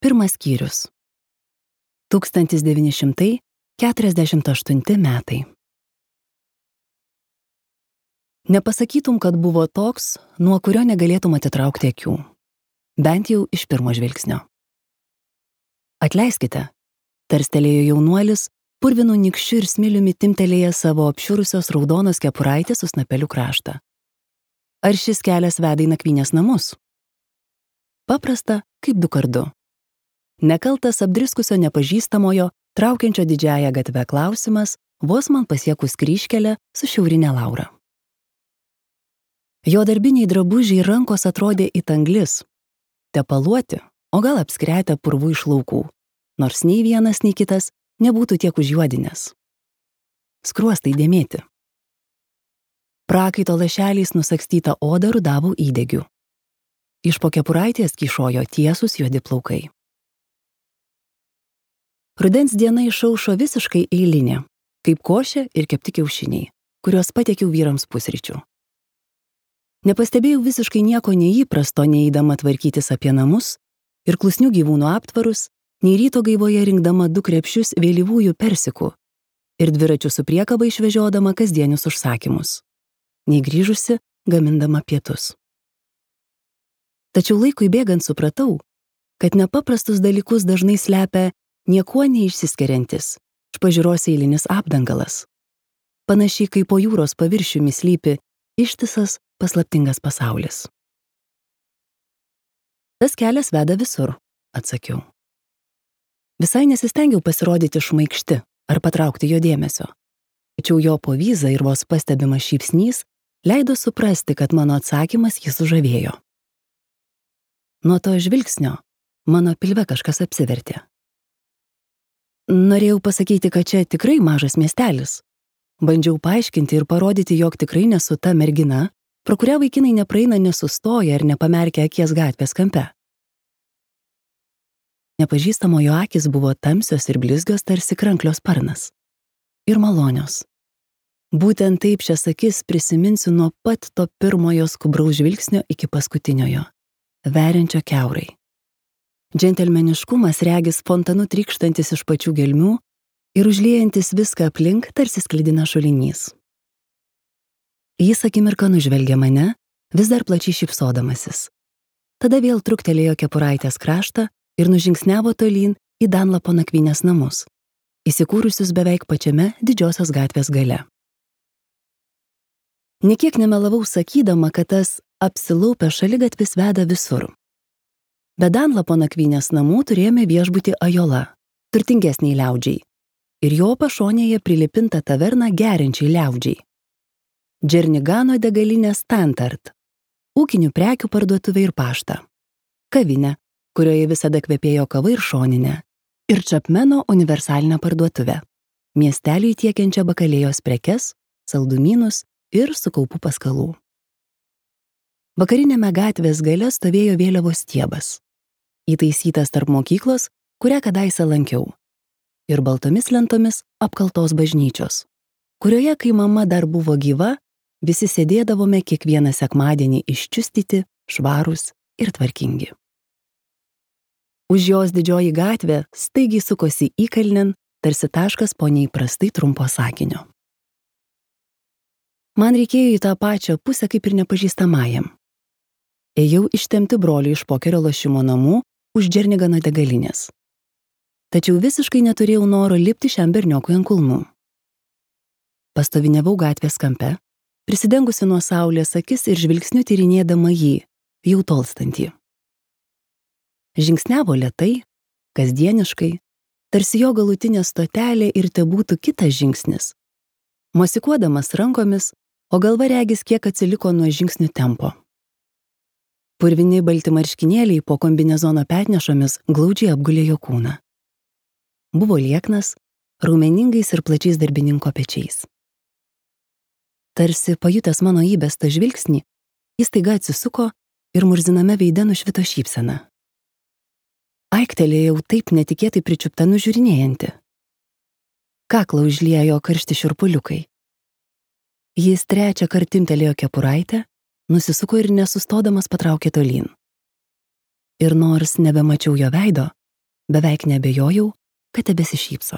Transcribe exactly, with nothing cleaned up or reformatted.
Pirmas skyrius. tūkstantis devyni šimtai keturiasdešimt aštunti metai. Nepasakytum, kad buvo toks, nuo kurio negalėtum atitraukti akių. Bent jau iš pirmo žvilgsnio. Atleiskite, tarstelėjo jaunuolis, purvinu nykščiu ir smiliumi timtelėję savo apšiurusios raudonos kepuraitės su snapeliu kraštą. Ar šis kelias veda į nakvynės namus? Paprasta, kaip du kart du. Nekaltas apdriskusio nepažįstamojo, traukiančio didžiąją gatvę klausimas, vos man pasiekus kryžkelę su šiaurinė Laura. Jo darbiniai drabužiai rankos atrodė it anglis, tepaluoti, o gal apskretę purvų iš laukų, nors nei vienas, nei kitas nebūtų tiek užjuodinęs. Skruostai dėmėti. Prakaito lašeliais nusakstyta oda rudavo įdegių. Iš po kepuraitės kyšojo tiesūs juodi plaukai. Rudens diena išaušo visiškai eilinė, kaip košė ir kepti kiaušiniai, kuriuos patiekiau vyrams pusryčių. Nepastebėjau visiškai nieko neįprasto, neįdama tvarkytis apie namus ir klusnių gyvūnų aptvarus, nei ryto gaivoje rinkdama du krepšius vėlyvųjų persikų ir dviračių su priekaba išvežiodama kasdienius užsakymus, nei grįžusi gamindama pietus. Tačiau laikui bėgant supratau, kad nepaprastus dalykus dažnai slepia niekuo neišsiskiriantis, iš pažiūros eilinis apdangalas. Panašiai kaip po jūros paviršiumi slypi ištisas paslaptingas pasaulis. Tas kelias veda visur, atsakiau. Visai nesistengiau pasirodyti šmaikšti ar patraukti jo dėmesio. Tačiau jo povyza ir vos pastebimas šypsnys leido suprasti, kad mano atsakymas jį sužavėjo. Nuo to žvilgsnio mano pilve kažkas apsivertė. Norėjau pasakyti, kad čia tikrai mažas miestelis. Bandžiau paaiškinti ir parodyti, jog tikrai nesu ta mergina, pro kurią vaikinai nepraeina nesustoja ir nepamerkia akies gatvės kampe. Nepažįstamojo akys buvo tamsios ir blizgios tarsi kranklio sparnas. Ir malonios. Būtent taip šias akis prisiminsiu nuo pat to pirmojo skubraus žvilgsnio iki paskutiniojo, veriančio kiaurai. Džentelmeniškumas regis fontanu trykštantis iš pačių gelmių ir užliejantis viską aplink tarsi sklidina šulinys. Jis akimirką nužvelgė mane, vis dar plačiai šypsodamasis. Tada vėl truktelėjo kepuraitės kraštą ir nužingsniavo tolyn į Danlapo nakvynės namus, įsikūrusius beveik pačiame didžiosios gatvės gale. Niekiek nemelavau sakydama, kad tas apsilaupęs šaligatvis veda visur. Be Danlapo nakvynės namų turėjome viešbutį Ajola, turtingesniai liaudžiai, ir jo pašonėje prilipinta taverna geriančiai liaudžiai. Džernigano degalinė Stantart, ūkinių prekių parduotuvė ir paštą, kavinė, kurioje visada kvepėjo kava ir šoninė, ir Čapmeno universalinę parduotuvę, miesteliui tiekiančią bakalėjos prekes, saldumynus ir sukaupų paskalų. Vakarinėme gatvės gale stovėjo vėliavos stiebas, įtaisytas tarp mokyklos, kurią kadaise lankiau, ir baltomis lentomis apkaltos bažnyčios, kurioje, kai mama dar buvo gyva, visi sėdėdavome kiekvieną sekmadienį iščiustyti, švarūs ir tvarkingi. Už jos didžioji gatvė staigiai sukosi įkalnin, tarsi taškas po neįprastai trumpo sakinio. Man reikėjo į tą pačią pusę kaip ir nepažįstamajam. Ėjau ištempti brolių iš pokerio lošimo namų už Džernigano degalinės. Tačiau visiškai neturėjau noro lipti šiam berniokui ant kulnų. Pastoviniavau gatvės kampe, prisidengusi nuo saulės akis ir žvilgsniu tyrinėdama jį, jau tolstantį. Žingsniavo lėtai, kasdieniškai, tarsi jo galutinė stotelė ir tebūtų kitas žingsnis, mosikuodamas rankomis, o galva regis kiek atsiliko nuo žingsnių tempo. Purvini balti marškinėliai po kombinezono petnešomis glaudžiai apgulė jo kūną. Buvo lieknas, raumeningais ir plačiais darbininko pečiais. Tarsi pajutęs mano įbestą žvilgsnį, jis staiga atsisuko ir murziname veide nušvito šypsena. Aiktelėjau taip netikėtai pričiupta nužiūrinėjanti. Kaklą užliejo karšti šiurpuliukai. Jis trečią kartą timtelėjo kepuraitę, nusisuko ir nesustodamas patraukė tolyn. Ir nors nebemačiau jo veido, Beveik neabejojau, kad tebesišypso.